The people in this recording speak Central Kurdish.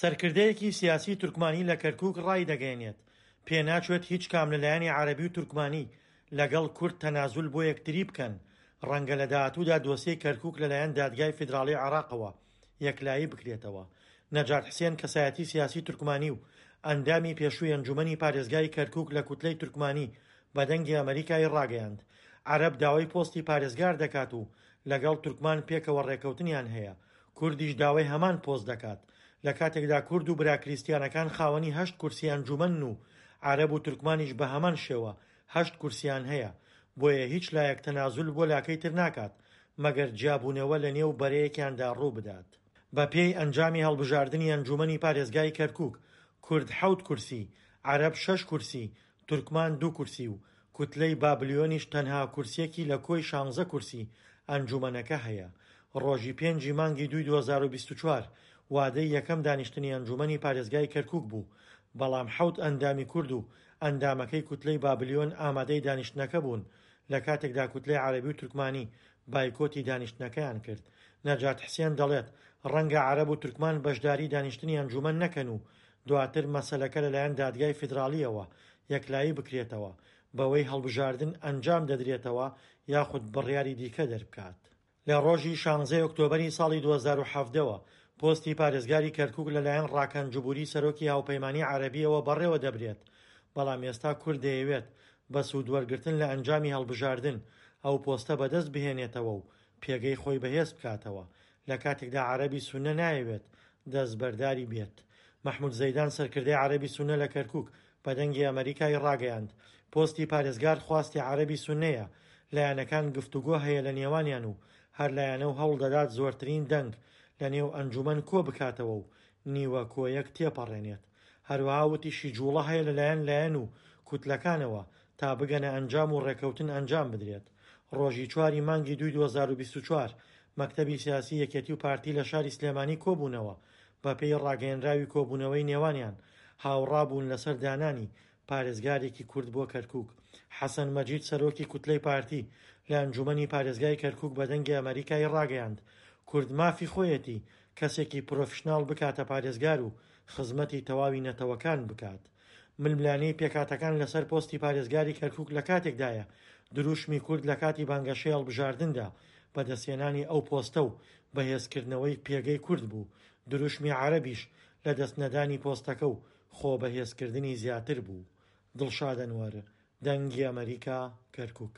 سەرکردەیەکی سیاسی تورکمانی لە کەرکوک ڕایدەگەیەنێت، پێناچێت هیچ کام لە لایەنی عەرەبی و تورکمانی لەگەڵ کورد تەنازول بۆ یەکتری بکەن، ڕەنگە لە داهاتوودا دۆسیەی کەرکوک لەلایەن دادگای فیدراڵی عێراقەوە یەکلایی بکرێتەوە. نەجات حسێن کەسایەتی سیاسی تورکمانی و ئەندامی پێشووی ئەنجومەنی پارێزگای کەرکوک لە کوتلەی تورکمانی بە دەنگی ئەمەریکای ڕاگەیاند، عەرەب داوای پۆستی پارێزگار دەکات و لەگەڵ تورکمان پێکەوە ڕێکەوتنیان هەیە، کوردیش داوای هەمان پۆست دەکات، لە کاتێکدا کورد و برا کریستیانەکان خاوەنی هەشت کورسی ئەنجومەنن و عەرەب و تورکمانیش بە هەمان شێوە هەشت کورسیان هەیە، بۆیە هیچ لایەک تەنازول بۆ لاکەی تر ناکات، مەگەر جیابوونەوە لە نێو بەرەیەکیاندا ڕووبدات. بە پێی ئەنجامی هەڵبژاردنی ئەنجومەنی پارێزگای کەرکوک، کورد حەوت کورسی، عەرەب شەش کورسی، تورکمان دوو کورسی و کوتلەی بابلیۆنیش تەنها کورسیەکی لە کۆی شانزە کورسی ئەنجومەنەکە هەیە. ڕۆژی پێنجی مانگی دووی 2024 وادەی یەکەم دانیشتنی ئەنجومەنی پارێزگای کەرکوک بوو، بەڵام حەوت ئەندامی کورد و ئەندامەکەی کوتلەی بابلیۆن ئامادەی دانیشتنەکە بوون، لە کاتێکدا کوتلەی عەرەبی و تورکمانی بایکۆتی دانیشتنەکەیان کرد. نەجات حسێن دەڵێت، ڕەنگە عەرەب و تورکمان بەشداری دانیشتنی ئەنجومەن نەکەن و دواتر مەسەلەکە لەلایەن دادگای فیدراڵییەوە یەکلایی بکرێتەوە، بەوەی هەڵبژاردن ئەنجام دەدرێتەوە یاخود بڕیاری دیکە دەربکات. لە ڕۆژی شانزەی ئۆکتۆبەری ساڵی 2017 وە پۆستی پارێزگاری کەرکوک لەلایەن ڕاکان جبوری سەرۆکی هاوپەیمانی عەرەبییەوە بەڕێوە دەبرێت، بەڵام ئێستا کورد دەیەوێت بە سوودوەرگرتن لە ئەنجامی هەڵبژاردن ئەو پۆستە بەدەست بهێنێتەوە و پێگەی خۆی بەهێز بکاتەوە، لە کاتێکدا عەرەبی سوننە نایەوێت دەستبەرداری بێت. مەحمود زەیدان سەرکردەی عەرەبی سوننە لە کەرکوک بە دەنگی ئەمەریکای ڕاگەیاند، پۆستی پارێزگار خواستی عەرەبی سوننەیە، لایەنەکان گفتوگۆ هەیە لە نێوانیان و هەر لایەنە و هەوڵدەدات زۆرترین دەنگ لە نێو ئەنجومەن کۆبکاتەوە و نیوە کۆیەک تێپەڕێنێت. هەروەها وتیشی جوڵە هەیە لەلایەن لایەن و کوتلەکانەوە تا بگەنە ئەنجام و ڕێکەوتن ئەنجام بدرێت. ڕۆژی چواری مانگی دووی 2024 مەکتەبی سیاسی یەکێتی و پارتی لە شاری سلێمانی کۆبوونەوە، بەپێی ڕاگەیەنراوی کۆبوونەوەی نێوانیان هاوڕابوون لەسەر دانانی پارێزگارێکی کورد بۆ کەرکوک. حەسەن مەجید سەرۆکی کوتلەی پارتی لە ئەنجومەنی پارێزگای کەرکوک بە دەنگی ئەمەریکای ڕاگەیاند، کورد مافی خۆیەتی کەسێکی پرۆفیشناڵ بکاتە پارێزگار و خزمەتی تەواوی نەتەوەکان بکات. ململانێی پێکهاتەکان لەسەر پۆستی پارێزگاری کەرکوک لە کاتێکدایە دروشمی کورد لە کاتی بانگەشەی هەڵبژاردندا بەدەستهێنانی ئەو پۆستە و بەهێزکردنەوەی پێگەی کورد بوو، دروشمی عەرەبیش لەدەستنەدانی پۆستەکە و خۆ بەهێزکردنی زیاتر بوو. دڵشاد ئەنوەر، دەنگی ئەمەریکا، کەرکوک.